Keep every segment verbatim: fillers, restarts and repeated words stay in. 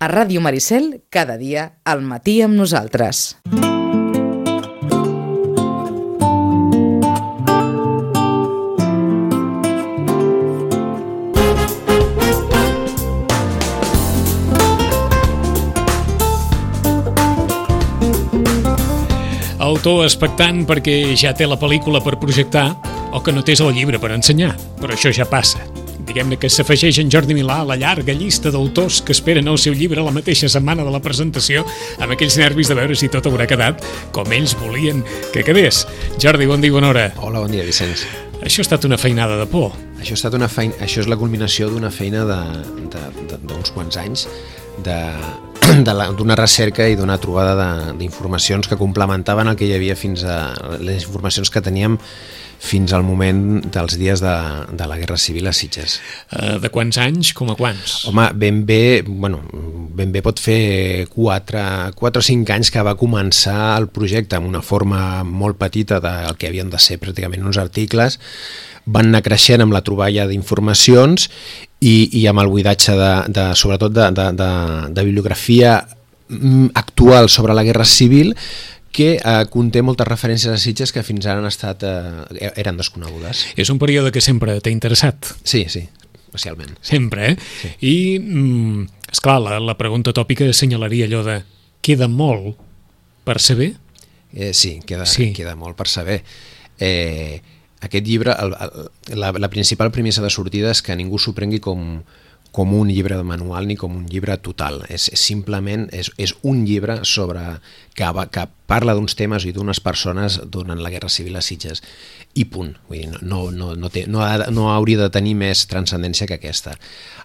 A Ràdio Maricel, cada dia, al matí amb nosaltres. Autor expectant perquè ja té la pel·lícula per projectar o que no tens el llibre per ensenyar, però això ja passa. Diguem-ne que s'afegeix en Jordi Milà a la llarga llista d'autors que esperen el seu llibre la mateixa setmana de la presentació amb aquells nervis de veure si tot haurà quedat com ells volien que quedés. Jordi, bon dia i bona hora. Hola, bon dia, Vicenç. Això ha estat una feinada de por. Això ha estat una feina, això és la culminació d'una feina d'uns quants anys de d'una recerca i d'una trobada d'informacions que complementaven el que hi havia fins a les informacions que teníem fins al moment dels dies de, de la Guerra Civil a Sitges. Uh, de quants anys, com a quants? Home, ben bé, bueno, ben bé pot fer quatre o cinc anys que va començar el projecte amb una forma molt petita del que havien de ser pràcticament uns articles, van anar creixent amb la troballa d'informacions i, i amb el buidatge de, de, sobretot de, de, de, de bibliografia actual sobre la Guerra Civil, que eh, conté moltes referències a Sitges que fins ara han estat, eh, eren desconegudes. És un període que sempre t'ha interessat. Sí, sí, especialment. Sempre, eh? Sí. I, mm, esclar, la, la pregunta tòpica assenyalaria allò de queda molt per saber? Eh, sí, queda, sí, queda molt per saber. Eh, aquest llibre, el, el, la, la principal premissa de sortida és que ningú s'ho prengui com... com un llibre de manual ni com un llibre total. És, és simplement és, és un llibre sobre que, que parla d'uns temes i d'unes persones durant la Guerra Civil a Sitges. I punt. Vull dir, no, no, no, té, no, ha, no hauria de tenir més transcendència que aquesta.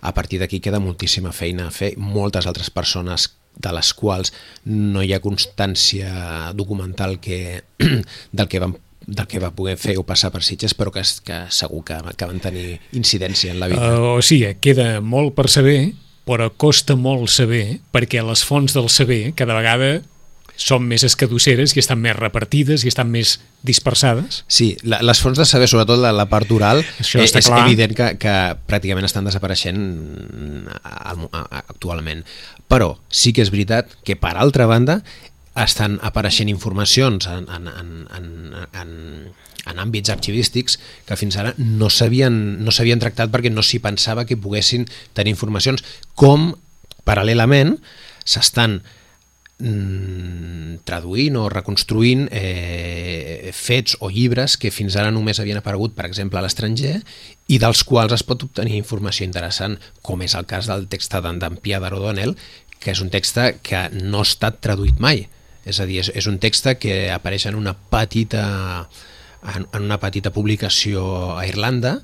A partir d'aquí queda moltíssima feina a fer, moltes altres persones de les quals no hi ha constància documental que, del que van del que va poder fer o passar per Sitges, però que, que segur que, que van tenir incidència en la vida. Uh, o sigui, queda molt per saber, però costa molt saber, perquè les fonts del saber cada vegada són més escadusseres i estan més repartides i estan més dispersades. Sí, la, les fonts de saber, sobretot la, la part oral, Això eh, està és clar. evident que, que pràcticament estan desapareixent al, a, actualment. Però sí que és veritat que, per altra banda, estan apareixent informacions en, en, en, en, en, en àmbits arxivístics que fins ara no s'havien no s'havien tractat perquè no s'hi pensava que poguessin tenir informacions, com paral·lelament s'estan mm, traduint o reconstruint eh, fets o llibres que fins ara només havien aparegut, per exemple, a l'estranger i dels quals es pot obtenir informació interessant, com és el cas del text d'en Pierre O'Donnell, que és un text que no ha estat traduït mai. És a dir, és, és un text que apareix en una petita en, en una petita publicació a Irlanda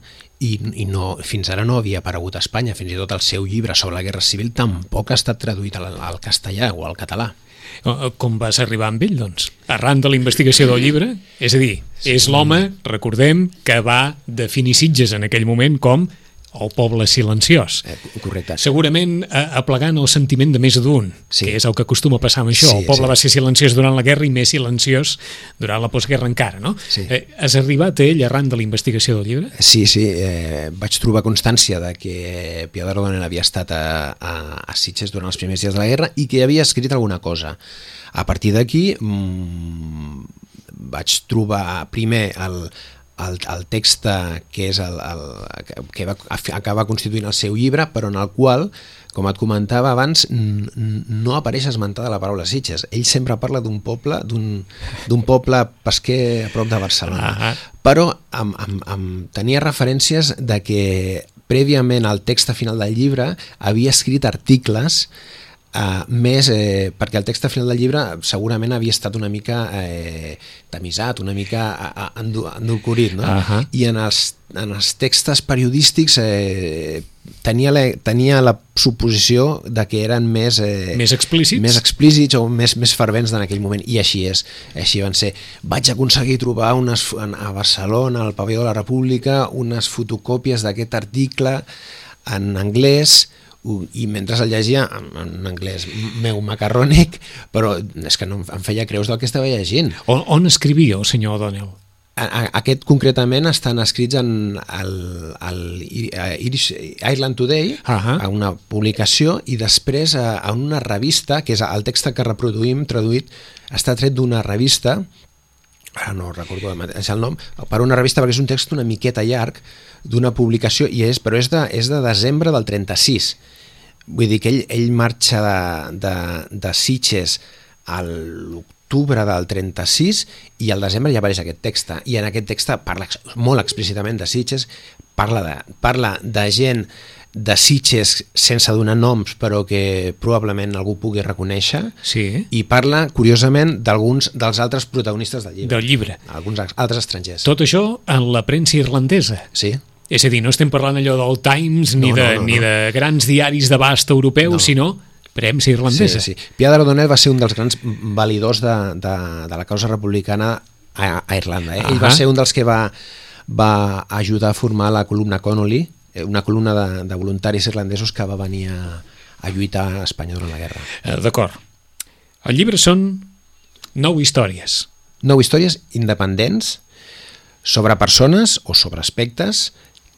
i, i no, fins ara no havia aparegut a Espanya. Fins i tot el seu llibre sobre la Guerra Civil tampoc ha estat traduït al, al castellà o al català. Com vas arribar amb ell, doncs? Arran de la investigació del llibre? És a dir, és l'home, recordem, que va definir Sitges en aquell moment com el poble silenciós. Eh, correcte. Segurament eh, aplegant el sentiment de més d'un, sí, que és el que acostuma a passar amb això. Sí, el poble sí. va ser silenciós durant la guerra i més silenciós durant la postguerra encara, no? Sí. Eh, has arribat a ell arran de la investigació del llibre? Sí, sí. Eh, vaig trobar constància de que Pierre O'Donnell havia estat a, a, a Sitges durant els primers dies de la guerra i que havia escrit alguna cosa. A partir d'aquí mmm, vaig trobar primer el El, el text que és el, el, que va acabar constituint el seu llibre, però en el qual, com et comentava abans, no apareix esmentada la paraula Sitges. Ell sempre parla d'un poble d'un d'un poble pesquer a prop de Barcelona. Ah. Però amb, amb, amb, tenia referències de que prèviament al text final del llibre havia escrit articles Uh, més, eh, perquè el text final del llibre segurament havia estat una mica eh, tamisat, una mica endolcorit, no? Uh-huh. I en els, en els textos periodístics eh, tenia, la, tenia la suposició de que eren més, eh, més explícits, més explícits o més, més fervents en aquell moment, i així és, així van ser. Vaig aconseguir trobar unes, a Barcelona, al Pavelló de la República, unes fotocòpies d'aquest article en anglès, i mentre el llegia en anglès meu macarrònic, però és que no em feia creus del que estava llegint. On, on escrivia el senyor O'Donnell? aquest concretament estan escrits en el, el Irish, Ireland Today, uh-huh. a una publicació, i després a, a una revista, que és el text que reproduïm traduït, està tret d'una revista, ara no recordo el nom, per una revista perquè és un text una miqueta llarg d'una publicació, i és, però és de, és de desembre del trenta-sis. Vull dir que ell, ell marxa de, de, de Sitges a l'octubre del trenta-sis i al desembre ja apareix aquest text, i en aquest text parla molt explícitament de Sitges, parla de, parla de gent de Sitges sense donar noms però que probablement algú pugui reconèixer, sí. i parla curiosament d'alguns dels altres protagonistes del llibre, del llibre. Alguns altres estrangers. Tot això en la premsa irlandesa. Sí. És a dir, no estem parlant allò del Times ni, no, de, no, no, ni no. de grans diaris d'abast europeu, no. sinó premsa irlandesa. Sí, sí. Pierre O'Donnell va ser un dels grans validors de, de, de la causa republicana a, a Irlanda. Eh? Uh-huh. Ell va ser un dels que va, va ajudar a formar la columna Connolly, una columna de, de voluntaris irlandesos que va venir a, a lluitar a Espanya durant la guerra. Eh, D'acord. El llibre són nou històries. Nou històries independents sobre persones o sobre aspectes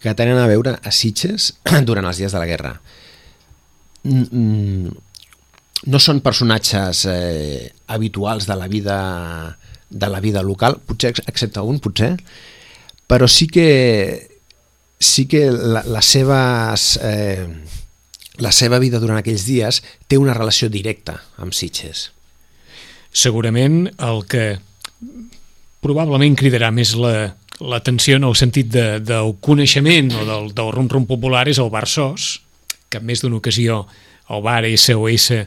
que tenen a veure a Sitges durant els dies de la guerra. No són personatges eh, habituals de la vida de la vida local, potser excepte un, potser, però sí que sí que la, les seves eh, la seva vida durant aquells dies té una relació directa amb Sitges. Segurament el que probablement cridarà més la l'atenció en el sentit de, del coneixement o del, del rum-rum popular és el bar Sos, que en més d'una ocasió el bar S O S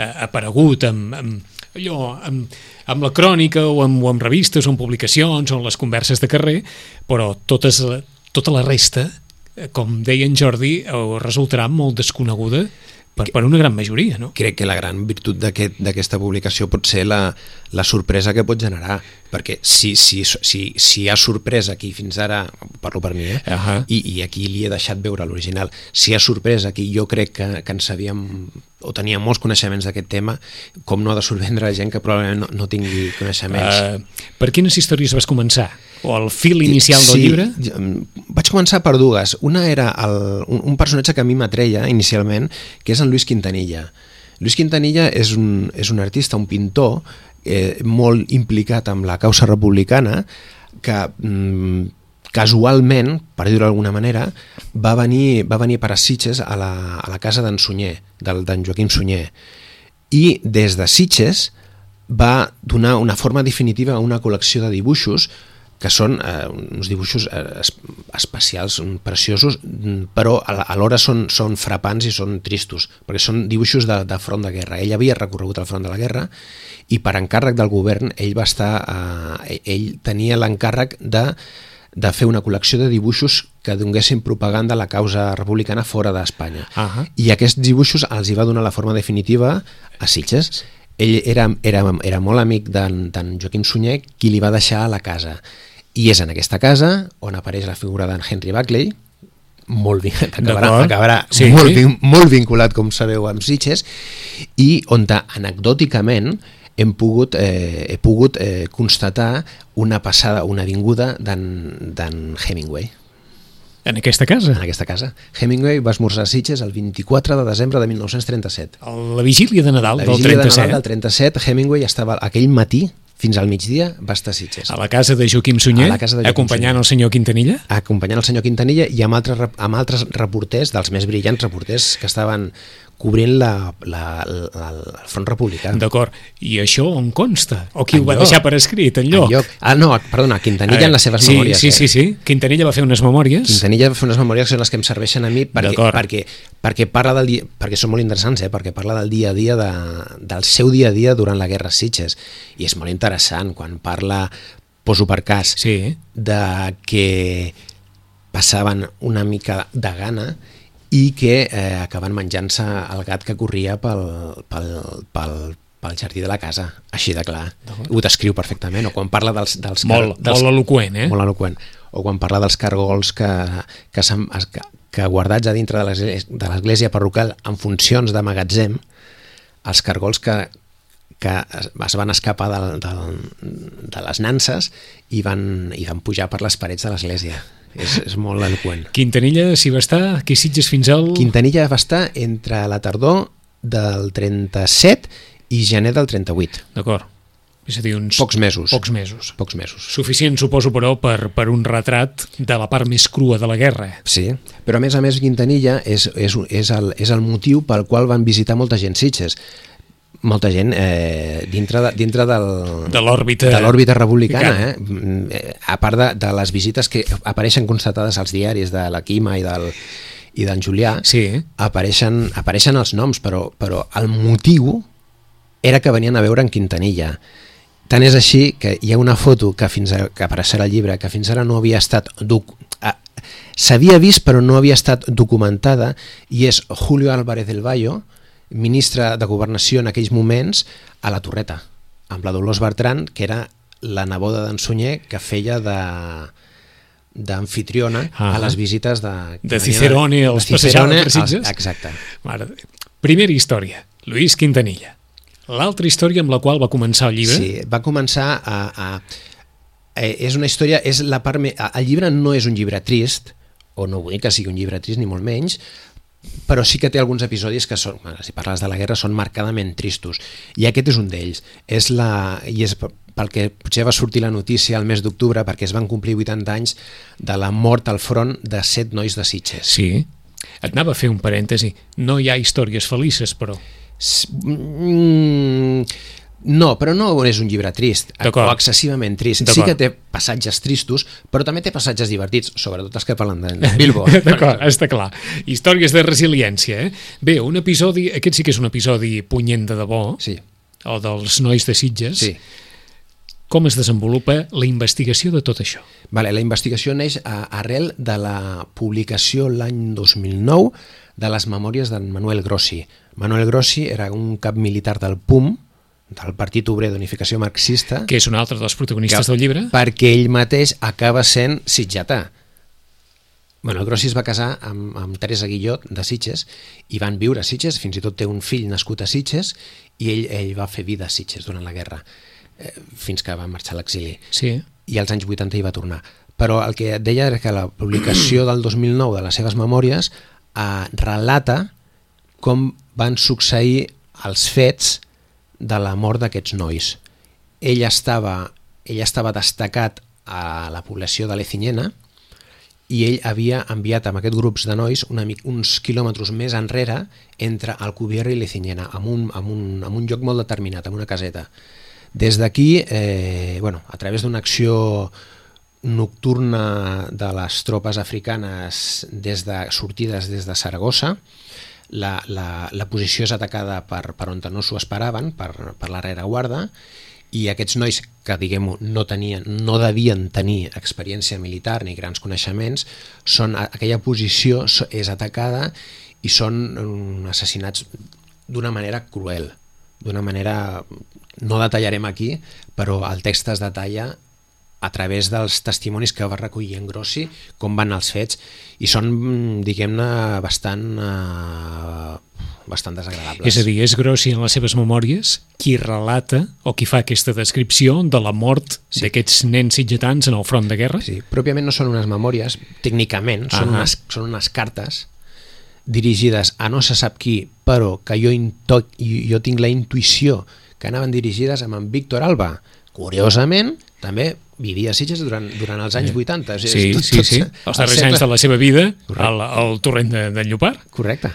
ha aparegut amb, amb, allò, amb, amb la crònica o amb, o amb revistes o amb publicacions o en les converses de carrer, però totes, tota la resta, com deia en Jordi, resultarà molt desconeguda per, per una gran majoria, no? Crec que la gran virtut d'aquest, d'aquesta publicació pot ser la, la sorpresa que pot generar, perquè si, si, si, si hi ha sorpresa aquí fins ara, parlo per mi, eh? uh-huh. I, i aquí li he deixat veure l'original, si hi ha sorpresa aquí, jo crec que, que en sabíem o tenia molts coneixements d'aquest tema, com no ha de sorprendre la gent que probablement no, no tingui coneixements. Uh, per quines històries vas començar? O el fil inicial del sí, llibre? Vaig començar per dues. Una era el, un, un personatge que a mi m'atreia inicialment, que és en Luis Quintanilla. Luis Quintanilla és un, és un artista, un pintor, eh, molt implicat amb la causa republicana, que mm, casualment, per dir-ho d'alguna manera, va venir, va venir per a Sitges a la, a la casa d'en Sunyer, del, d'en Joaquim Sunyer. I des de Sitges va donar una forma definitiva a una col·lecció de dibuixos que són eh, uns dibuixos eh, especials, preciosos, però alhora són, són frapants i són tristos, perquè són dibuixos de, de front de guerra. Ell havia recorregut el front de la guerra i per encàrrec del govern ell va estar, eh, ell tenia l'encàrrec de, de fer una col·lecció de dibuixos que donguessin propaganda a la causa republicana fora d'Espanya. Uh-huh. I aquests dibuixos els hi va donar la forma definitiva a Sitges. Ell era, era, era molt amic d'en, d'en Joaquim Sunyer, qui li va deixar a la casa. I és en aquesta casa on apareix la figura d'en Henry Buckley, molt, acabarà, acabarà sí, molt, sí. Vin, molt vinculat, com sabeu, amb Sitges, i on anecdòticament hem pogut, eh, he pogut eh, constatar una passada, una vinguda d'en Hemingway. En aquesta casa? En aquesta casa. Hemingway va esmorzar a Sitges el vint-i-quatre de desembre de mil nou-cents trenta-set. La vigília de Nadal la del vigília trenta-set. De Nadal del trenta-set, Hemingway estava aquell matí, fins al migdia, va estar a Sitges. A la casa de Joaquim Sunyer, de Joaquim acompanyant Sunyer. El senyor Quintanilla? Acompanyant el senyor Quintanilla i amb altres, amb altres reporters, dels més brillants reporters que estaven cobrint la, la, la, el front republicà. D'acord. I això on consta? O qui en ho va lloc. Deixar per escrit, en lloc? En lloc. Ah, no, perdona, Quintanilla eh, en les seves sí, memòries. Sí, sí, sí, sí. Quintanilla va fer unes memòries. Quintanilla va fer unes memòries que són les que em serveixen a mi perquè, perquè, perquè, parla del dia, perquè són molt interessants, eh, perquè parla del dia a dia, de, del seu dia a dia durant la guerra a Sitges. I és molt interessant quan parla, poso per cas, sí. de que passaven una mica de gana i que eh, acaben menjant-se el gat que corria pel, pel, pel, pel jardí de la casa, així de clar. Ho descriu perfectament. O quan parla dels... dels molt, dels, molt eloqüent, eh? Molt eloqüent. O quan parla dels cargols que, que, que, que guardats a dintre de l'església parroquial en funcions de magatzem, els cargols que que es, es van escapar de, de, de les nanses i van, i van pujar per les parets de l'església. És, és molt eloqüent. Quintanilla s'hi va estar, aquí Sitges fins al... Quintanilla va estar entre la tardor del trenta-set i gener del trenta-vuit. D'acord. És a dir, uns... Pocs mesos. Pocs mesos. Pocs mesos. Suficient, suposo, però, per, per un retrat de la part més crua de la guerra. Sí, però a més a més Quintanilla és, és, és, el, és el motiu pel qual van visitar molta gent Sitges. Molta gent eh, dintre, de, dintre del, de l'òrbita de l'òrbita republicana, eh? A part de, de les visites que apareixen constatades als diaris de la Quima i del i d'en Julià, sí. apareixen, apareixen els noms, però, però el motiu era que venien a veure en Quintanilla. Tant és així que hi ha una foto que fins a, que apareixerà al llibre, que fins ara no havia estat doc, eh, s'havia vist però no havia estat documentada, i és Julio Álvarez del Valle, ministre de Governació en aquells moments, a la Torreta, amb la Dolors Bertran, que era la neboda d'en Sunyer, que feia de d'anfitriona ah, a les visites de... De Cicerone, de, els passejava per Sitges. Exacte. Mare, primera història, Luis Quintanilla. L'altra història amb la qual va començar el llibre? Sí, va començar a... a eh, és una història... És la part me, el llibre no és un llibre trist, o no vull que sigui un llibre trist, ni molt menys, però sí que té alguns episodis que són, si parles de la guerra, són marcadament tristos, i aquest és un d'ells. És la, i és pel que potser va sortir la notícia el mes d'octubre, perquè es van complir vuitanta anys de la mort al front de set nois de Sitges. Sí, et anava a fer un parèntesi. No hi ha històries felices, però... Mm, no, però no és un llibre trist o excessivament trist. Sí que té passatges tristos, però també té passatges divertits, sobretot els que parlen de Bilbo. D'acord, està clar. Històries de resiliència, eh? Bé, un episodi, aquest sí que és un episodi punyent de debò, sí. O dels nois de Sitges. Sí. Com es desenvolupa la investigació de tot això? Vale, la investigació neix a, arrel de la publicació l'any dos mil nou de les memòries d'en Manuel Grossi. Manuel Grossi era un cap militar del P U M, del Partit Obrer d'Unificació Marxista, que és un altre dels protagonistes del llibre, perquè ell mateix acaba sent sitgetà. Manuel Grossi es va casar amb, amb Teresa Guillot de Sitges i van viure a Sitges, fins i tot té un fill nascut a Sitges, i ell, ell va fer vida a Sitges durant la guerra, eh, fins que va marxar a l'exili. Sí. I als anys vuitanta hi va tornar. Però el que et deia era que la publicació del dos mil nou de les seves memòries eh, relata com van succeir els fets de la mort d'aquests nois. Ell estava, ell estava destacat a la població de Lecinyena i ell havia enviat amb aquests grups de nois una, uns quilòmetres més enrere entre Alcubierre i Lecinyena, amb un, amb, un, amb un lloc molt determinat, amb una caseta. Des d'aquí, eh, bueno, a través d'una acció nocturna de les tropes africanes des de, sortides des de Saragossa, La, la, la posició és atacada per, per on no s'ho esperaven, per, per la rereguarda, i aquests nois que, diguem-ho, no tenien, no devien tenir experiència militar ni grans coneixements, són, aquella posició és atacada i són assassinats d'una manera cruel, d'una manera, no detallarem aquí, però el text es detalla a través dels testimonis que va recollir en Grossi, com van els fets, i són, diguem-ne, bastant, eh, bastant desagradables. És a dir, és Grossi en les seves memòries qui relata o qui fa aquesta descripció de la mort sí. d'aquests nens sitgetans en el front de guerra? Sí, pròpiament no són unes memòries, tècnicament, són, uh -huh. unes, són unes cartes dirigides a no se sap qui, però que jo, into, jo tinc la intuïció que anaven dirigides amb en Víctor Alba. Curiosament, també vivia a Sitges durant, durant els anys vuitanta. Sí, sí, tot, sí, sí. Els darrers anys de la seva vida al, al torrent de, de Llopart. Correcte.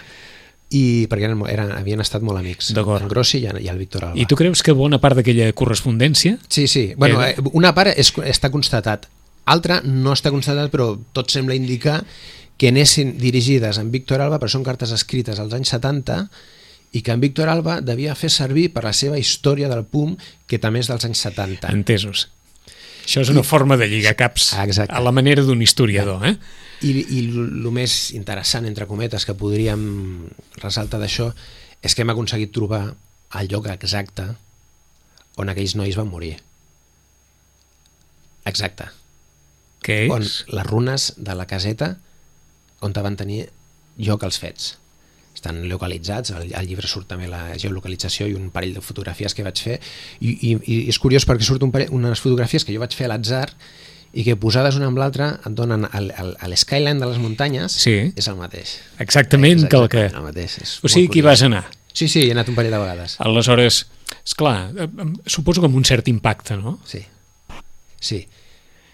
I perquè eren, eren, havien estat molt amics, en Grossi i, i el Víctor Alba. I tu creus que bona part d'aquella correspondència? Sí, sí. Bueno, eh, una part és, està constatat, altra no està constatat, però tot sembla indicar que anessin dirigides en Víctor Alba, però són cartes escrites als anys setanta, i que en Víctor Alba devia fer servir per la seva història del P U M, que també és dels anys setanta. Entesos. Això és una I, forma de lligar caps exacte. A la manera d'un historiador. Eh? I, i el més interessant, entre cometes, que podríem ressaltar d'això és que hem aconseguit trobar el lloc exacte on aquells nois van morir. Exacte. Què és? On les runes de la caseta on van tenir lloc els fets. estan localitzats, al, al llibre surt també la geolocalització i un parell de fotografies que vaig fer, i, i, i és curiós perquè surt un parell, unes fotografies que jo vaig fer a l'atzar i que posades una amb l'altra et donen el, el, el skyline de les muntanyes, sí. és el mateix. Exactament, és que el que... el mateix. És o sigui que hi vas anar. Sí, sí, he anat un parell de vegades. Aleshores, esclar, suposo que amb un cert impacte, no? Sí, sí,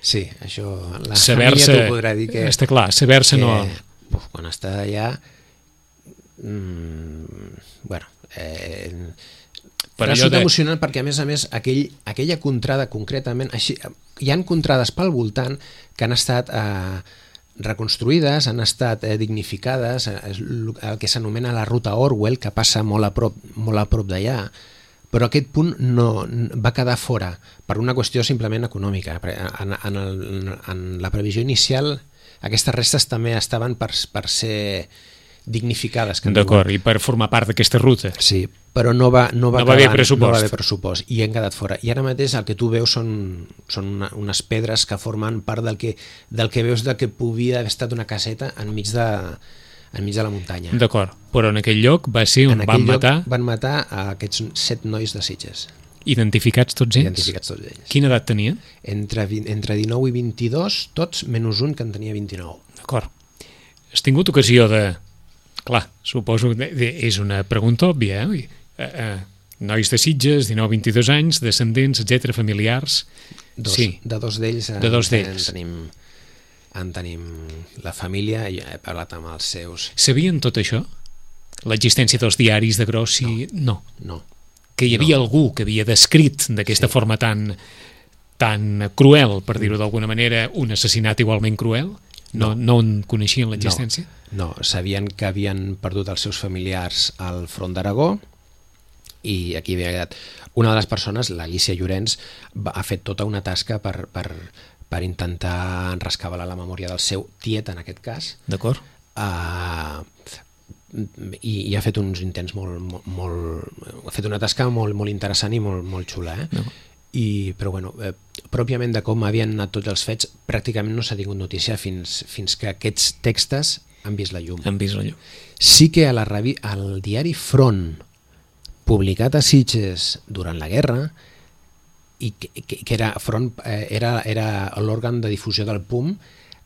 sí, això la saber-se, família t'ho podrà dir que... Està clar, saber-se que, no... Uf, quan està allà... Mm, bueno, eh, per resulta de... emocionant perquè a més a més aquell, aquella contrada concretament, així, hi han contrades pel voltant que han estat eh, reconstruïdes, han estat eh, dignificades, eh, el que s'anomena la ruta Orwell, que passa molt a prop, molt a prop d'allà, però aquest punt no, va quedar fora per una qüestió simplement econòmica. En, en, el, en la previsió inicial aquestes restes també estaven per, per ser dignificades. D'acord, i per formar part d'aquesta ruta. Sí, però no va, no va, no va haver acabar, pressupost. No va haver pressupost i han quedat fora. I ara mateix el que tu veus són, són una, unes pedres que formen part del que, del que veus de que podia haver estat una caseta enmig de, enmig de la muntanya. D'acord, però en aquell lloc va ser on van matar... van matar a aquests set nois de Sitges. Identificats tots ells? Identificats tots ells. Quina edat tenien? Entre, entre dinou i vint-i-dos, tots, menys un que en tenia vint-i-nou. D'acord. Has tingut ocasió de... Clar, suposo que és una pregunta òbvia, eh? eh, eh nois de Sitges, dinou a vint-i-dos anys, descendents, etcètera, familiars... Dos, sí. De dos d'ells en, de dos d'ells. En, tenim, en tenim la família i he parlat amb els seus... Sabien tot això? L'existència dels diaris de Grossi? No. No. Que hi havia no. algú que havia descrit d'aquesta sí. forma tan, tan cruel, per dir-ho d'alguna manera, un assassinat igualment cruel? No, no, no en coneixien l'existència? No, no, sabien que havien perdut els seus familiars al front d'Aragó i aquí havia quedat. Una de les persones, l'Alicia Llorenç, ha fet tota una tasca per, per, per intentar rescabalar la memòria del seu tiet, en aquest cas. D'acord. Uh, i, i ha fet uns intents molt, molt, molt... Ha fet una tasca molt, molt interessant i molt, molt xula, eh? No. I, però bueno, eh, pròpiament de com havien anat tots els fets pràcticament no s'ha tingut notícia fins, fins que aquests textos han vist la llum. Han vist la llum. Sí que a la revi- al diari Front, publicat a Sitges durant la guerra, i que, que, que era, Front, eh, era, era l'òrgan de difusió del P U M,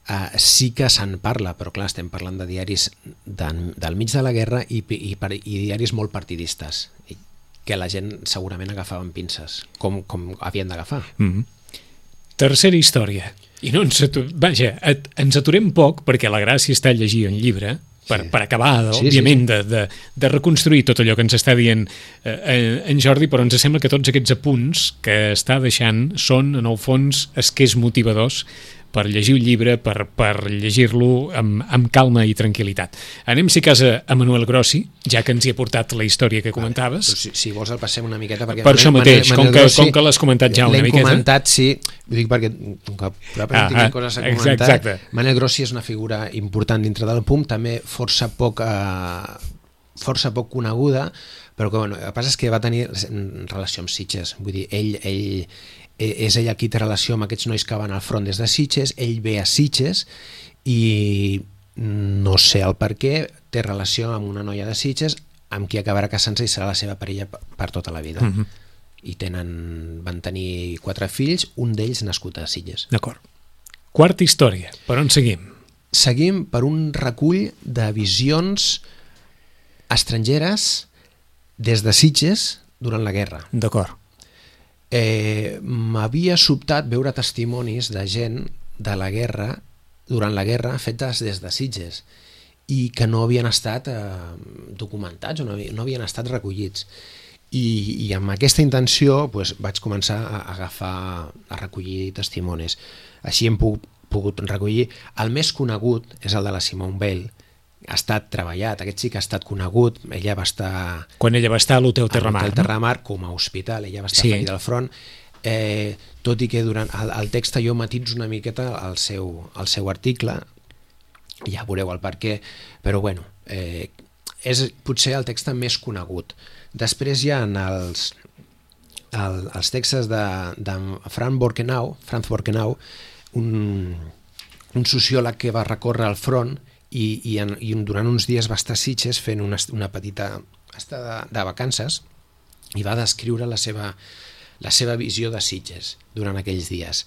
eh, sí que se'n parla, però clar, estem parlant de diaris de, del mig de la guerra i, i, i diaris molt partidistes, i, que la gent segurament agafaven pinces, com, com havien d'agafar. Mm-hmm. Tercera història. I no ens, atu... Vaja, et, ens aturem poc, perquè la gràcia està a llegir un llibre, per, sí. per acabar, sí, òbviament, sí, sí. De, de, de reconstruir tot allò que ens està dient eh, en Jordi, però ens sembla que tots aquests apunts que està deixant són, en el fons, esquers motivadors per llegir un llibre, per, per llegir-lo amb, amb calma i tranquil·litat. Anem, si cas, a Manuel Grossi, ja que ens hi ha portat la història que comentaves. Vale, si, si vols el passem una miqueta. Perquè per això mateix, Manuel, com, que, Grossi, com que l'has comentat ja una miqueta. L'he comentat, sí, ho dic perquè com que probablement ah, tinc coses a comentar. Exacte. Manuel Grossi és una figura important dintre del P U M, també força poc, eh, força poc coneguda, però que, bueno, el que passa és que va tenir relació amb Sitges, vull dir, ell... ell és ell qui té relació amb aquests nois que van al front des de Sitges, ell ve a Sitges i no sé el per què, té relació amb una noia de Sitges amb qui acabarà casant-se i serà la seva parella per tota la vida. Uh-huh. I tenen, van tenir quatre fills, un d'ells nascut a Sitges. D'acord. Quarta història, per on seguim? Seguim per un recull de visions estrangeres des de Sitges durant la guerra. D'acord. Eh, m'havia sobtat veure testimonis de gent de la guerra, durant la guerra, fetes des de Sitges i que no havien estat eh, documentats o no, no havien estat recollits. I, i amb aquesta intenció pues, vaig començar a agafar, a recollir testimonis. Així hem pogut, pogut recollir. El més conegut és el de la Simone Weil. Ha estat treballat, aquest sí que ha estat conegut, ella va estar... Quan ella va estar a l'Hotel Terramar, a l'Hotel Terramar, no? Com a hospital, ella va estar sí. ferida al front, eh, tot i que durant el, el text jo matitzo una miqueta el seu, el seu article, ja veureu el per què, però bueno, eh, és potser el text més conegut. Després hi ha els, el, els textos de, de Franz Borkenau, Franz Borkenau, un, un sociòleg que va recórrer al front i, i, en, i durant uns dies va estar a Sitges fent una, una petita estada de, de vacances i va descriure la seva, la seva visió de Sitges durant aquells dies.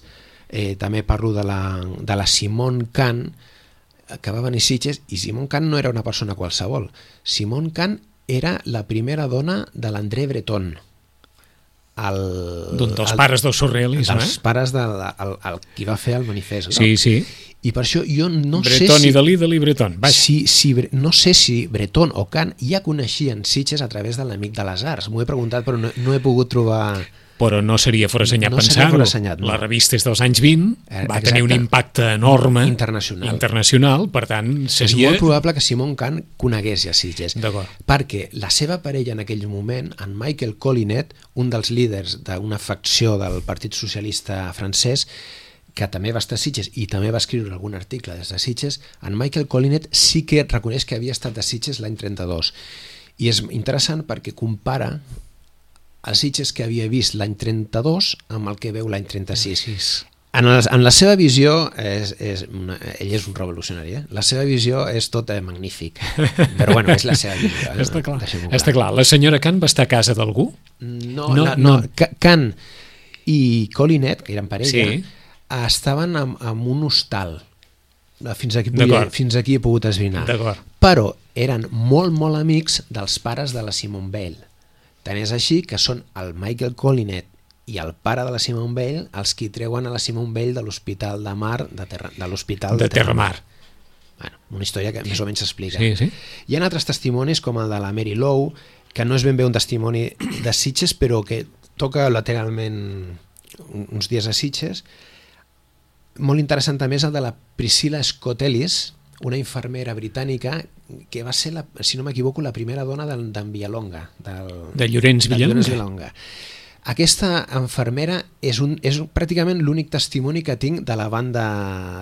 Eh, també parlo de la, de la Simone Khan, que va venir a Sitges, i Simone Khan no era una persona qualsevol. Simone Khan era la primera dona de l'André Breton, el, d'un dels el, pares del surrealisme, dels eh? pares del el, el, qui va fer el manifest, no? Sí, sí. I per això jo no Breton sé si... i Dalí, Dalí, Breton. Vaja. Si, si, no sé si Breton o Khan ja coneixien Sitges a través de l'Amic de les Arts. M'ho he preguntat, però no, no he pogut trobar... Però no seria forassenyat no pensar-ho. No. La revista és dels anys vint, eh, va exacte. tenir un impacte enorme internacional. internacional, per tant, seria... És molt probable que Simone Khan conegués ja Sitges. D'acord. Perquè la seva parella en aquell moment, en Michael Collinet, un dels líders d'una facció del Partit Socialista francès, que també va estar a Sitges i també va escriure algun article des de Sitges, en Michael Collinet sí que reconeix que havia estat a Sitges l'any trenta-dos. I és interessant perquè compara els Sitges que havia vist l'any trenta-dos amb el que veu l'any trenta-sis. En, el, en la seva visió, és, és una, ell és un revolucionari, eh? La seva visió és tot eh, magnífic, però bueno, és la seva visió. Eh? Està clar. clar. Està clar. La senyora Khan va estar a casa d'algú? No, no, no, no. Khan i Collinet, que eren parella, sí. estaven en, en un hostal. Fins aquí, fins aquí he pogut esbrinar. Però eren molt, molt amics dels pares de la Simone Weil. Tant és així que són el Michael Collinet i el pare de la Simone Weil els qui treuen a la Simone Weil de l'Hospital de Mar, de, terra, de l'Hospital de, de Terramar. Bueno, una història que més o menys s'explica. Sí, sí. Hi ha altres testimonis com el de la Mary Lowe, que no és ben bé un testimoni de Sitges, però que toca lateralment uns dies a Sitges. Molt interessant també és el de la Priscilla Scott Ellis, una infermera britànica que va ser, la, si no m'equivoco, la primera dona d'en Villalonga. Del, de Llorenç Villalonga. Villalonga. Aquesta infermera és, un, és pràcticament l'únic testimoni que tinc de la banda,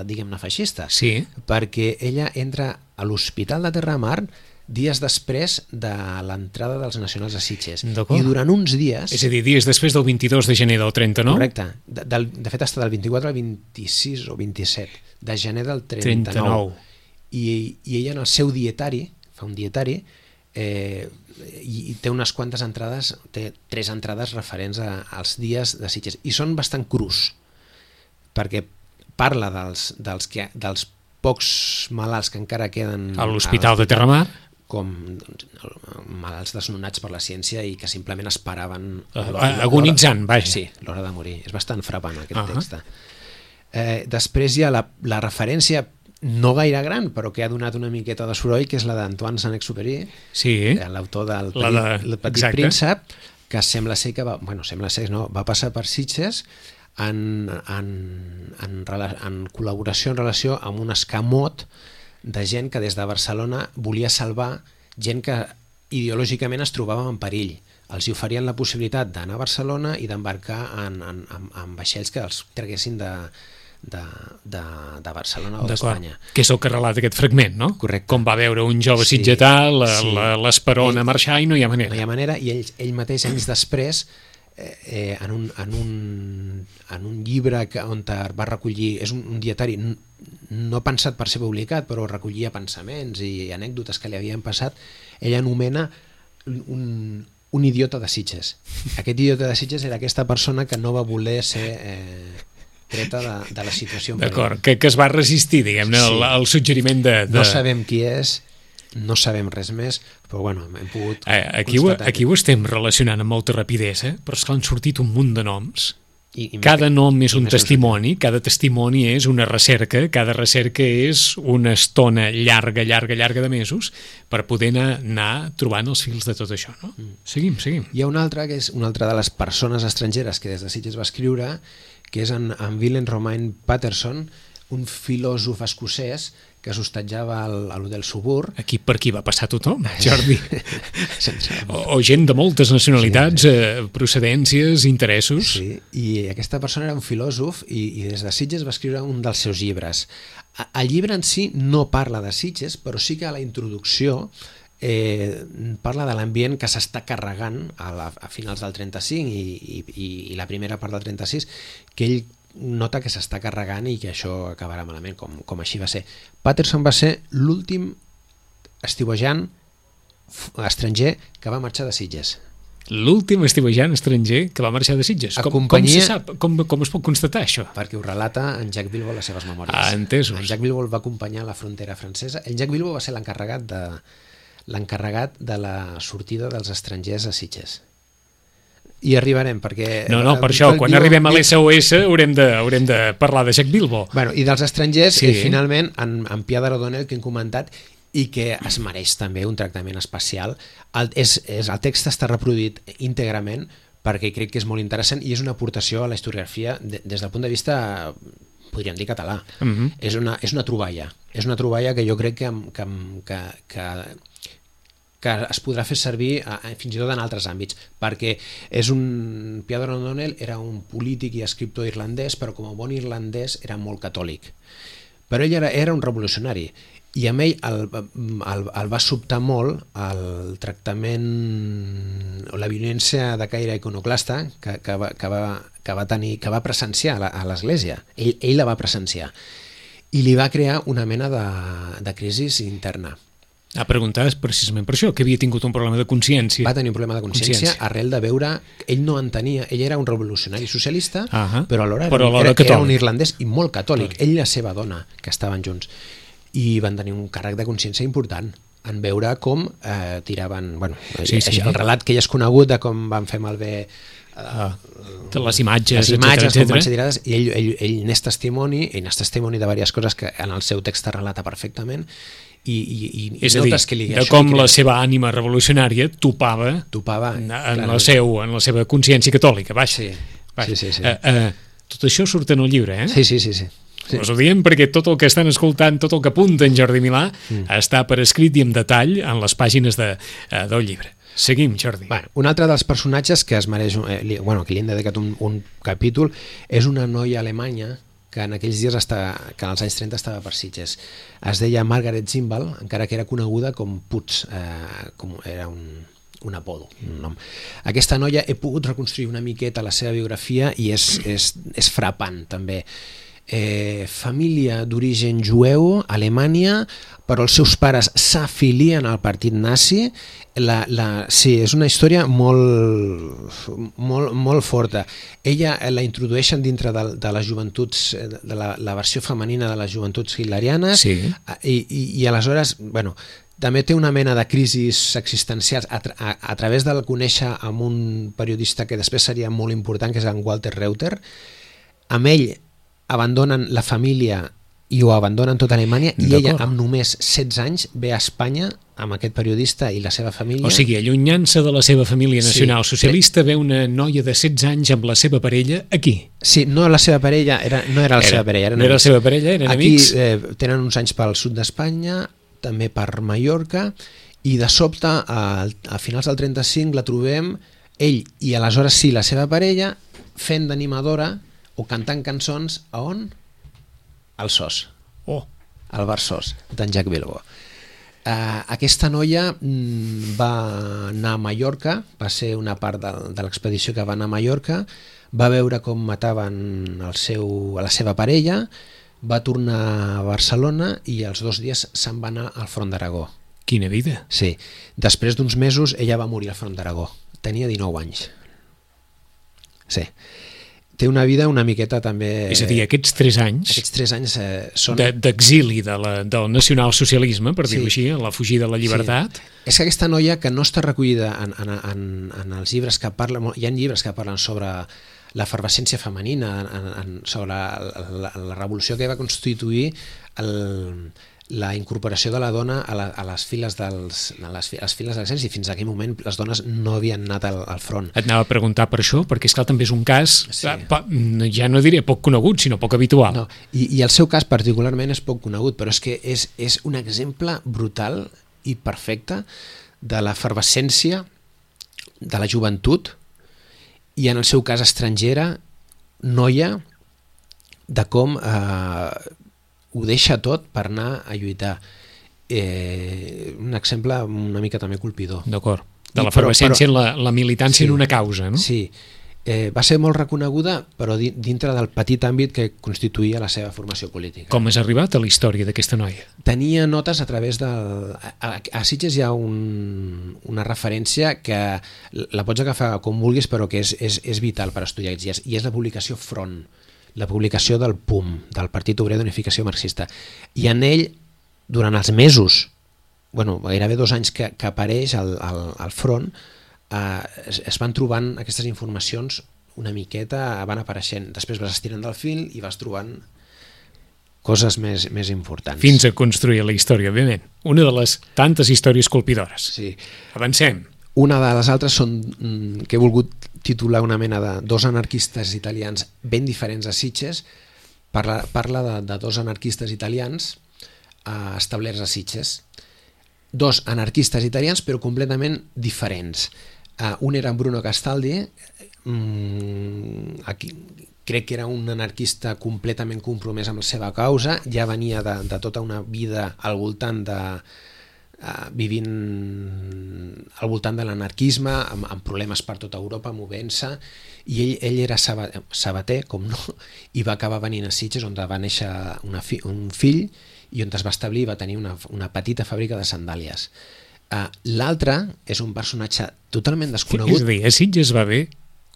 diguem-ne, feixista. Sí. Perquè ella entra a l'Hospital de Terramar dies després de l'entrada dels nacionals a Sitges. I durant uns dies... És a dir, dies després del vint-i-dos de gener del trenta-nou? Correcte. De, del, de fet, està del vint-i-quatre al vint-i-sis o vint-i-set de gener del trenta-nou. trenta-nou. I, i ella en el seu dietari, fa un dietari, eh, i, i té unes quantes entrades, té tres entrades referents a, als dies de Sitges. I són bastant crus, perquè parla dels, dels, que, dels pocs malalts que encara queden a l'Hospital de Terramar, com doncs, malalts desnonats per la ciència i que simplement esperaven... Uh, agonitzant, vaja. Sí, l'hora de morir. És bastant frapant aquest uh -huh. text. Eh, després hi ha la, la referència no gaire gran, però que ha donat una miqueta de soroll, que és la d'Antoine Saint-Exupéry, sí, l'autor del Petit, de... el Petit Príncep, que sembla ser que va, bueno, sembla ser, no, va passar per Sitges en, en, en, en col·laboració en relació amb un escamot de gent que des de Barcelona volia salvar gent que ideològicament es trobava en perill. Els hi oferien la possibilitat d'anar a Barcelona i d'embarcar en, en, en, en vaixells que els traguessin de De, de, de Barcelona o d'Espanya. Que és el que relata aquest fragment, no? Correcte. Com va veure un jove sí, sitgetà, l'esperona sí. marxar i no hi ha manera. No hi ha manera, i ell, ell mateix anys després eh, eh, en, un, en, un, en un llibre que, on va recollir, és un, un dietari no pensat per ser publicat, però recollia pensaments i anècdotes que li havien passat, ell anomena un, un idiota de Sitges. Aquest idiota de Sitges era aquesta persona que no va voler ser... Eh, treta de, de la situació. D'acord, que, que es va resistir, diguem-ne, sí. al, al suggeriment de, de... No sabem qui és, no sabem res més, però bueno, hem pogut eh, aquí constatar... Ho, aquí ho estem relacionant amb molta rapidesa, però és que han sortit un munt de noms. I, i cada més, nom és un testimoni, cada testimoni és una recerca, cada recerca és una estona llarga, llarga, llarga de mesos per poder anar, anar trobant els fils de tot això, no? Mm. Seguim, seguim. Hi ha una altra, que és una altra de les persones estrangeres que des de Sitges va escriure, que és en, en Willem Romain Patterson, un filòsof escocès que s'hostatjava a l'Hotel Suburb. Aquí per aquí va passar tothom, Jordi. o, o gent de moltes nacionalitats, sí. eh, procedències, interessos. Sí, i aquesta persona era un filòsof i, i des de Sitges va escriure un dels seus llibres. El llibre en si no parla de Sitges, però sí que a la introducció Eh, parla de l'ambient que s'està carregant a, la, a finals del trenta-cinc i, i, i la primera part del trenta-sis, que ell nota que s'està carregant i que això acabarà malament, com, com així va ser. Patterson va ser l'últim estiuejant estranger que va marxar de Sitges. L'últim estiuejant estranger que va marxar de Sitges. A Com, companyia... com se sap? Com, com es pot constatar això? Perquè ho relata en Jacques Bilbo a les seves memòries. Ah, entesos. En Jacques Bilbo el va acompanyar a la frontera francesa. El Jacques Bilbo va ser l'encarregat de, l'encarregat de la sortida dels estrangers a Sitges. I arribarem, perquè... No, no, per això, quan arribem a l'S O S haurem de, haurem de parlar de Jacques Bilbo. Bueno, i dels estrangers, sí. eh, finalment, en, en Pierre O'Donnell, que hem comentat, i que es mereix també un tractament especial. El, és, és, el text està reproduït íntegrament perquè crec que és molt interessant i és una aportació a la historiografia de, des del punt de vista, podríem dir, català. Uh-huh. És, una, és una troballa. És una troballa que jo crec que, que, que, que que es podrà fer servir a, a, fins i tot en altres àmbits, perquè és un... Pierre O'Donnell era un polític i escriptor irlandès, però com a bon irlandès era molt catòlic. Però ell era, era un revolucionari, i amb ell el, el, el va sobtar molt el tractament o la violència de caire iconoclasta que, que, va, que, va, que, va tenir, que va presenciar a l'Església. Ell, ell la va presenciar. I li va crear una mena de, de crisi interna. A preguntar precisament per això, que havia tingut un problema de consciència. Va tenir un problema de consciència, consciència. arrel de veure... Ell no entenia, ell era un revolucionari socialista, uh-huh. però alhora, però alhora era, era un irlandès i molt catòlic. Ell i la seva dona, que estaven junts, i van tenir un càrrec de consciència important en veure com eh, tiraven... Bueno, sí, sí. El relat que ja és conegut de com van fer malbé uh, les imatges, les imatges etcètera, com van ser tirades, i ell, ell, ell n'és testimoni, ell n'és testimoni de diverses coses que en el seu text relata perfectament. I, i, i és a dir, que li, de com la seva ànima revolucionària topava, topava en, en, la seu, en la seva consciència catòlica. Baix. Sí, baix. sí, sí, sí. Uh, uh, tot això surt en el llibre, eh? Sí, sí, sí, sí. Sí. Us ho diem perquè tot el que estan escoltant, tot el que apunta en Jordi Milà, mm. està per escrit i en detall en les pàgines de, uh, del llibre. Seguim, Jordi. Bueno, un altre dels personatges que es mereix, eh, li, bueno, que li hem dedicat un, un capítol és una noia alemanya que en aquells dies, està, que en els anys trenta estava per Sitges. Es deia Margaret Zimbal, encara que era coneguda com Putz, eh, com era un, un apodo, un nom. Aquesta noia he pogut reconstruir una miqueta la seva biografia i és, és, és frapant també. Eh, família d'origen jueu, Alemanya, però els seus pares s'afilien al partit nazi. La, la, sí, és una història molt, molt, molt forta. Ella la introdueixen dintre de, de les joventuts, de la, la versió femenina de les joventuts hitlerianes, sí. i, i, i aleshores, bueno, també té una mena de crisis existencials a, a, a través del conèixer amb un periodista que després seria molt important, que és en Walter Reuter. Amb ell abandonen la família i ho abandonen tota Alemanya, i ella amb només setze anys ve a Espanya amb aquest periodista i la seva família. O sigui, allunyant-se de la seva família nacional sí, socialista, ve una noia de setze anys amb la seva parella aquí. Sí, no la seva parella, era, no era la era, seva parella. No era la seva parella, eren aquí, amics. Eh, tenen uns anys pel sud d'Espanya, també per Mallorca, i de sobte, a, a finals del trenta-cinc, la trobem, ell i aleshores sí, la seva parella, fent d'animadora o cantant cançons a on? Al Sos. Oh. Al bar Sos, d'en Jacques Bilbo. Uh, aquesta noia mm, va anar a Mallorca, va ser una part de, de l'expedició que va anar a Mallorca, va veure com mataven el seu, a la seva parella, va tornar a Barcelona i els dos dies se'n va anar al Front d'Aragó. Quina vida. Sí. Després d'uns mesos ella va morir al Front d'Aragó. Tenia dinou anys. Sí. Té una vida una miqueta també... És a dir, aquests tres anys... Aquests tres anys eh, són... d'exili de, de del nacionalsocialisme, per dir-ho sí. així, la fugida de la llibertat. Sí. És que aquesta noia, que no està recollida en, en, en, en els llibres que parlen... Hi ha llibres que parlen sobre l'efervescència femenina, en, en, sobre la, la, la revolució que va constituir el... la incorporació de la dona a, la, a les files dels a les, a les files de l'exèrcit, i fins a aquell moment les dones no havien anat al, al front. Et anava a preguntar per això, perquè és clar, també és un cas sí. ja no diré poc conegut, sinó poc habitual. No, i, i el seu cas particularment és poc conegut, però és que és, és un exemple brutal i perfecte de l'efervescència de la joventut, i en el seu cas estrangera, noia, de com eh, ho deixa tot per anar a lluitar. Eh, un exemple una mica també colpidor. D'acord. De l'efervescència en la, la militància sí, en una causa, no? Sí. eh, va ser molt reconeguda, però di, dintre del petit àmbit que constituïa la seva formació política. Com has arribat a la història d'aquesta noia? Tenia notes a través del... A, a Sitges hi ha un, una referència que la pots agafar com vulguis, però que és, és, és vital per estudiar aquests dies, i és la publicació Front, la publicació del P U M, del Partit Obrer d'Unificació Marxista. I en ell, durant els mesos, bueno, gairebé dos anys que, que apareix al, al, al Front, eh, es, es van trobant aquestes informacions una miqueta, van apareixent. Després vas estirant del fil i vas trobant coses més, més importants. Fins a construir la història, òbviament. Una de les tantes històries colpidores. Sí. Avancem. Una de les altres són, que he volgut titular una mena de dos anarquistes italians ben diferents a Sitges. Parla, parla de, de dos anarquistes italians eh, establerts a Sitges. Dos anarquistes italians però completament diferents. Uh, un era Bruno Castaldi, um, aquí, crec que era un anarquista completament compromès amb la seva causa, ja venia de, de tota una vida al voltant de... Uh, vivint al voltant de l'anarquisme, amb, amb problemes per tota Europa, movent-se, i ell, ell era sabater, sabater, com no, i va acabar venint a Sitges, on va néixer una fi, un fill, i on es va establir, va tenir una, una petita fàbrica de sandàlies. Uh, L'altre és un personatge totalment desconegut. És a dir, a Sitges va haver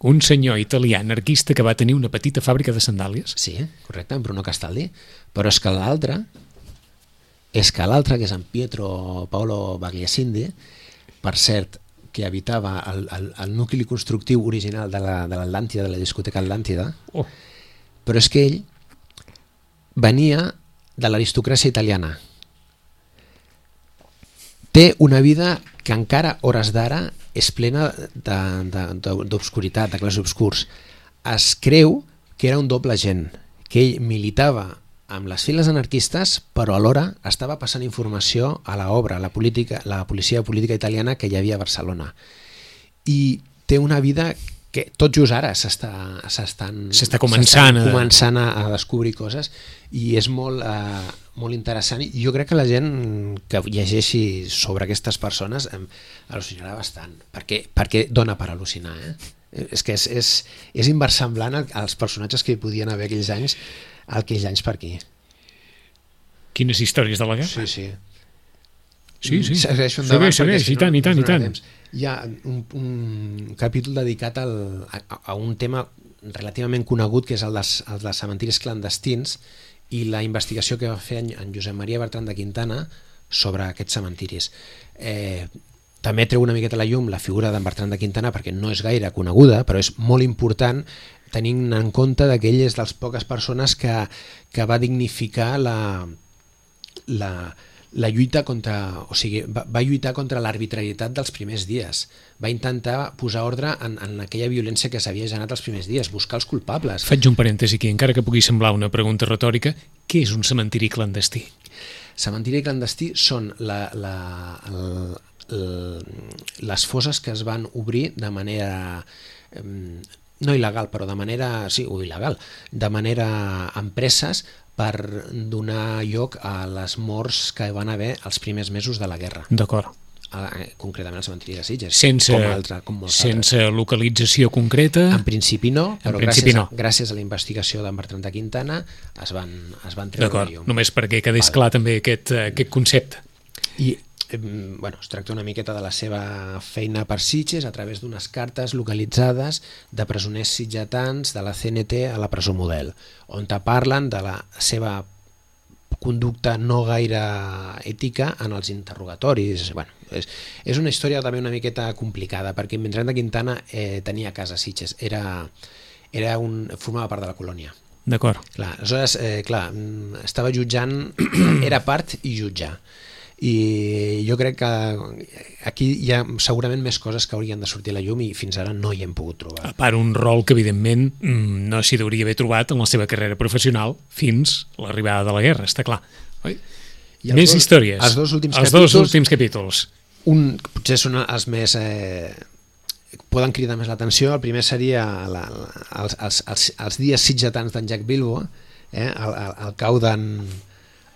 un senyor italià anarquista que va tenir una petita fàbrica de sandàlies? Sí, correcte, en Bruno Castaldi. Però és que l'altre, és que l'altre, que és en Pietro Paolo Bagliasindi, per cert, que habitava el, el, el nucli constructiu original de l'Atlàntida, la, de la discoteca Atlàntida, oh. Però és que ell venia de l'aristocràcia italiana. Té una vida que encara, hores d'ara, és plena d'obscuritat, de, de, de clars obscurs. Es creu que era un doble agent, que ell militava amb les files anarquistes, però alhora estava passant informació a l'obra, a la, política, la policia política italiana que hi havia a Barcelona. I té una vida que tot just ara s'estan començant, a... començant a, a descobrir coses, i és molt, uh, molt interessant, i jo crec que la gent que llegeixi sobre aquestes persones eh, al·lucinarà bastant, perquè, perquè dona per al·lucinar, eh? És que és, és, és inversemblant als personatges que hi podien haver aquells anys, aquells anys per aquí. Quines històries de la guerra? Sí, sí. Sí, sí. Segueixo endavant, segueix, segueix, i tant, i tant, i tant. Hi ha un, un capítol dedicat al, a, a un tema relativament conegut, que és el dels, el dels cementiris clandestins, i la investigació que va fer en, en Josep Maria Bertran de Quintana sobre aquests cementiris. Eh, també treu una miqueta la llum la figura d'en Bertran de Quintana, perquè no és gaire coneguda, però és molt important, tenint en compte que ell és de les poques persones que, que va dignificar la... la la lluita contra, o sigui, va, va lluitar contra l'arbitrarietat dels primers dies, va intentar posar ordre en, en aquella violència que s'havia generat els primers dies, buscar els culpables. Faig un parèntesi aquí, encara que pugui semblar una pregunta retòrica, què és un cementiri clandestí? Cementiri clandestí són la, la, el, el, les fosses que es van obrir de manera... Eh, no il·legal, però de manera... sí, o il·legal, de manera empreses, per donar lloc a les morts que van haver els primers mesos de la guerra. D'acord. Concretament al cementiri de Sitges. Sense, com altre, com sense localització concreta? En principi no, però principi gràcies, no. A, gràcies a la investigació d'en Bertran de Quintana es van, es van treure D'acord, llum. Només perquè quedés vale. Clar també aquest, aquest concepte. I bueno, es tracta una miqueta de la seva feina per Sitges a través d'unes cartes localitzades de presoners sitgetans de la C N T a la presó Model, on te parlen de la seva conducta no gaire ètica en els interrogatoris. Bueno, és, és una història també una miqueta complicada, perquè Bertran de Quintana eh, tenia casa a Sitges, era, era un, formava part de la colònia. D'acord. Clar, aleshores, eh, clar, estava jutjant, era part i jutjar. I jo crec que aquí hi ha segurament més coses que haurien de sortir a la llum i fins ara no hi hem pogut trobar. A part, un rol que evidentment no s'hi hauria haver trobat en la seva carrera professional fins l'arribada de la guerra, està clar. Oi? Més dos, històries. Els dos últims els capítols, dos últims capítols. Un potser són els més... Eh, poden cridar més l'atenció. El primer seria la, la, els, els, els, els dies sitgetans d'en Jack Bilbo, eh, el, el, el cau d'en...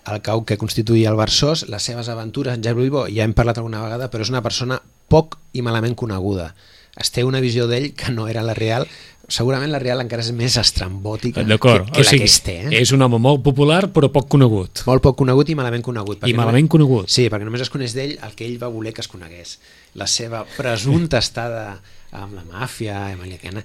el cau que constituïa el Barsós, les seves aventures. En Jack Bilbo ja hem parlat alguna vegada, però és una persona poc i malament coneguda. es té una visió d'ell que no era la real. Segurament la real encara és més estrambòtica D'acord, que, que o sigui, la que es té. Eh? És un home molt popular però poc conegut. Molt poc conegut i malament conegut. I malament només, conegut. Sí, perquè només es coneix d'ell el que ell va voler que es conegués. La seva presumpta estada amb la màfia americana,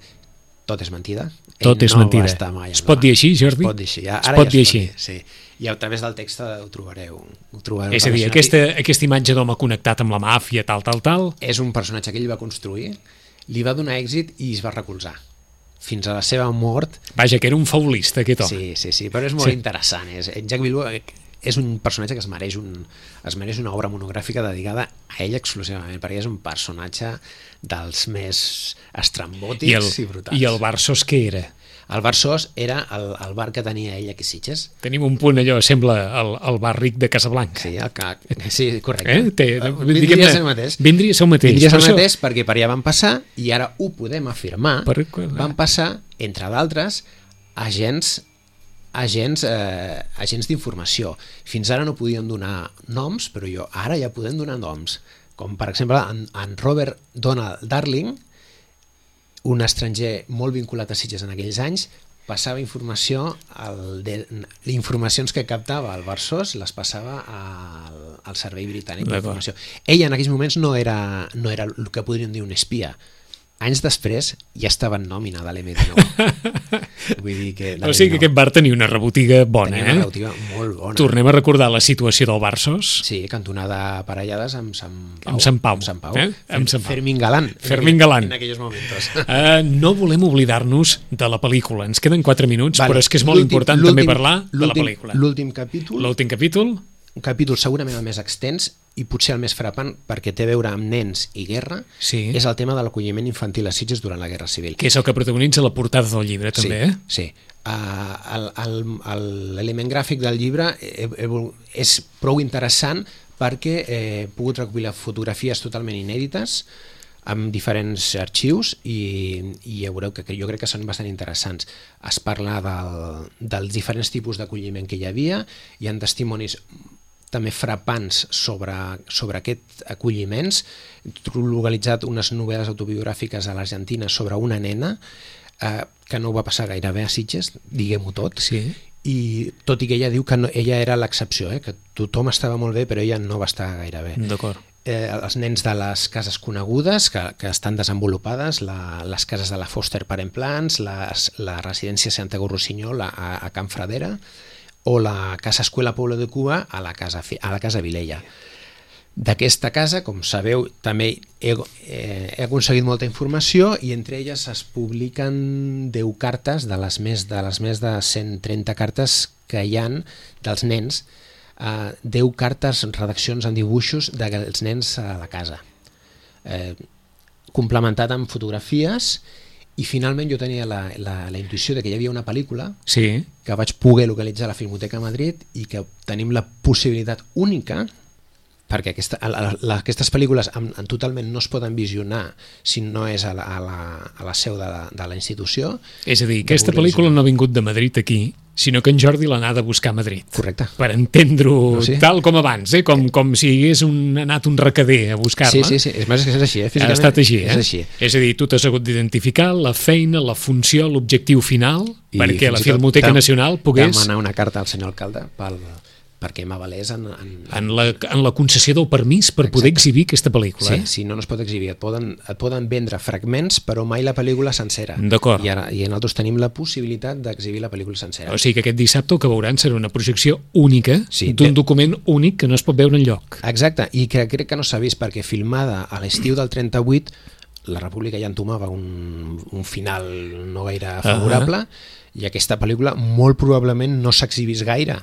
tot és mentida. Tot ell és no mentida. Va estar mai es pot dir així, Jordi? Es pot dir així. Ja, es ara pot ja dir es així. pot dir, sí. I a través del text ho trobareu. Ho trobareu És a dir, aquesta, aquesta imatge d'home connectat amb la màfia, tal, tal, tal... És un personatge que ell va construir, li va donar èxit i es va recolzar. Fins a la seva mort. Vaja, que era un faulista, aquest home. Sí, sí, sí, però és molt sí. interessant. És, Jacques Villeau és un personatge que es mereix, un, es mereix una obra monogràfica dedicada a ell exclusivament, perquè és un personatge dels més estrambòtics i, el, i brutals. I el Barsos què era? El bar Sos era el, el bar que tenia ell aquí a Sitges. Tenim un punt allò, sembla el, el bar ric de Casablanca. Sí, el que, sí correcte. Eh? Té, vindria a ser el mateix. Vindria a ser el mateix. Vindria a ser el això... mateix perquè per allà van passar, i ara ho podem afirmar, per... van passar, entre d'altres, agents agents, eh, agents d'informació. Fins ara no podíem donar noms, però jo ara ja podem donar noms. Com per exemple en, en Robert Donald Darling, un estranger molt vinculat a Sitges en aquells anys, passava informació, el de, informacions que captava el Barsos les passava al, al Servei Britànic d'Informació. Ell en aquells moments no era, no era el que podríem dir un espia. Anys després ja estava en nòmina de l'M dinou. Vull dir que... O sigui que aquest bar tenia una rebotiga bona, tenia eh? una rebotiga molt bona. Tornem a recordar la situació del Barsos. Sí, cantonada parellades amb Sant Pau. Amb Sant Pau. Amb Sant Pau. Eh? Amb Sant Pau. Fermín Galán. Fermín Galán. En aquells moments. Uh, no volem oblidar-nos de la pel·lícula. Ens queden quatre minuts, vale. Però és que és molt important també parlar de la pel·lícula. L'últim capítol... L'últim capítol... Un capítol segurament el més extens i potser el més frapant perquè té a veure amb nens i guerra, sí. És el tema de l'acolliment infantil a Sitges durant la Guerra Civil. Que és el que protagonitza la portada del llibre, també, sí, eh? Sí. Uh, L'element gràfic del llibre és prou interessant perquè he pogut recollir fotografies totalment inèdites amb diferents arxius i, i ja veureu que, que jo crec que són bastant interessants. Es parla del, dels diferents tipus d'acolliment que hi havia, hi ha testimonis també frapants sobre, sobre aquests acolliments. He localitzat unes novel·les autobiogràfiques a l'Argentina sobre una nena eh, que no va passar gairebé a Sitges, diguem-ho tot, sí. I tot i que ella diu que no, ella era l'excepció, eh, que tothom estava molt bé però ella no va estar gaire bé. D'acord. Eh, els nens de les cases conegudes que, que estan desenvolupades, la, les cases de la Foster Parent Plans, les, la residència Santiago Rossinyol a, a Can Fradera o la Casa Escuela Pueblo de Cuba a la Casa, a la casa Vilella. D'aquesta casa, com sabeu, també he, eh, he aconseguit molta informació i entre elles es publiquen deu cartes de les més de, les més de cent trenta cartes que hi han dels nens, Uh, deu cartes, redaccions en dibuixos dels nens a la casa, eh, complementat amb fotografies, i finalment jo tenia la, la, la intuïció de que hi havia una pel·lícula sí. que vaig poder localitzar a la Filmoteca Madrid i que tenim la possibilitat única, perquè aquesta, a la, la, aquestes pel·lícules en, en totalment no es poden visionar si no és a la, a la, a la seu de la, de la institució. És a dir, aquesta pel·lícula no ha vingut de Madrid aquí, sinó que en Jordi l'ha anat a buscar a Madrid. Correcte. Per entendre-ho no, sí. Tal com abans, eh? com, com si hagués un, anat un recader a buscar-la. Sí, sí, sí, és, més, és així, eh? Ha estat així, eh? És així. És a dir, tu t'has hagut d'identificar la feina, la funció, l'objectiu final, i perquè la Filmoteca Nacional pogués... demanar una carta al senyor alcalde pel... perquè m'avalés en... En, en, la, en la concessió del permís per Exacte. Poder exhibir aquesta pel·lícula. Sí, eh? sí, no, no es pot exhibir. Et poden, et poden vendre fragments, però mai la pel·lícula sencera. D'acord. I, ara, I nosaltres tenim la possibilitat d'exhibir la pel·lícula sencera. O sigui que aquest dissabte el que veuran serà una projecció única sí, d'un de... document únic que no es pot veure enlloc. Exacte, i que crec que no s'ha vist perquè filmada a l'estiu del trenta-vuit la República ja entomava un, un final no gaire favorable, uh-huh. I aquesta pel·lícula molt probablement no s'ha exhibit gaire.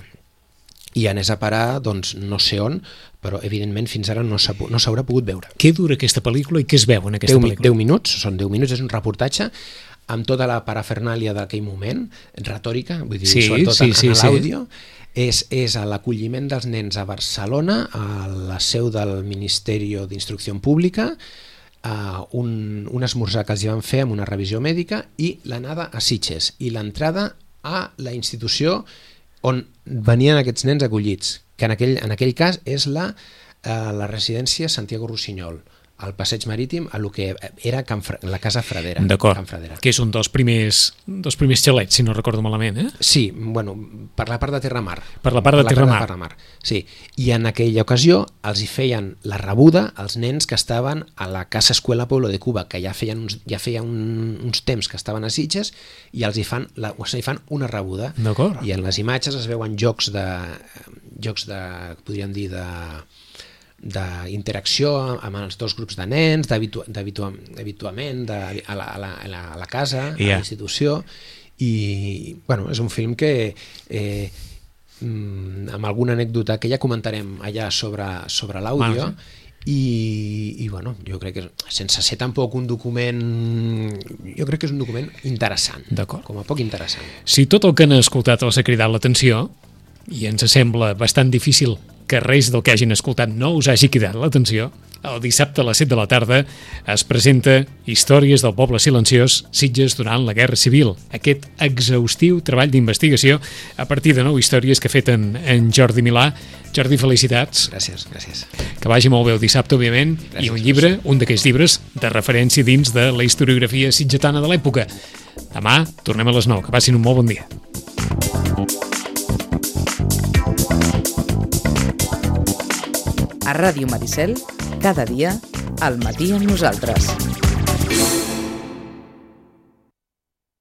I anés a parar, doncs, no sé on, però evidentment fins ara no s'ha, no s'haurà pogut veure. Què dura aquesta pel·lícula i què es veu en aquesta deu, pel·lícula? deu minuts, són deu minuts, és un reportatge amb tota la parafernàlia d'aquell moment, retòrica, vull dir, sí, sobretot sí, en, sí, en l'àudio, sí. és, és a l'acolliment dels nens a Barcelona, a la seu del Ministeri d'Instrucció Pública, a un, un esmorzar que els hi van fer amb una revisió mèdica i l'anada a Sitges i l'entrada a la institució on venien aquests nens acollits, que en aquell, en aquell cas és la, eh, la residència Santiago Rossinyol, al Passeig Marítim, a lo que era Can Fra... la Casa Fradera. D'acord, Can Fradera. que és un dels primers, dels primers xalets, si no recordo malament, eh? Sí, bueno, per la part de Terramar. Per la part de per la Terramar. Part de Terramar. Sí, i en aquella ocasió els hi feien la rebuda als nens que estaven a la Casa Escuela Pueblo de Cuba, que ja feien uns, ja feia un, uns temps que estaven a Sitges, i els hi fan, la, els hi fan una rebuda. D'acord. I en les imatges es veuen jocs de, jocs de, podríem dir, de d'interacció amb els dos grups de nens, d'habituament de, a, la, a, la, a, la, a la casa, yeah. a la institució, i bueno, és un film que eh, amb alguna anècdota que ja comentarem allà sobre, sobre l'àudio, bueno, sí. i, i bueno, jo crec que sense ser tampoc un document, jo crec que és un document interessant, com a poc interessant. Si tot el que han escoltat els ha cridat l'atenció, i ens sembla bastant difícil que res del que hagin escoltat no us hagi cridat l'atenció, el dissabte a les set de la tarda es presenta Històries del poble silenciós, Sitges durant la Guerra Civil. Aquest exhaustiu treball d'investigació a partir de nou històries que ha fet en, en Jordi Milà. Jordi, felicitats. Gràcies, gràcies. Que vagi molt bé el dissabte, òbviament, gràcies, i un llibre, un d'aquells llibres de referència dins de la historiografia sitgetana de l'època. Demà tornem a les nou. Que passin un molt bon dia. A Ràdio Maricel, cada dia, al matí amb nosaltres.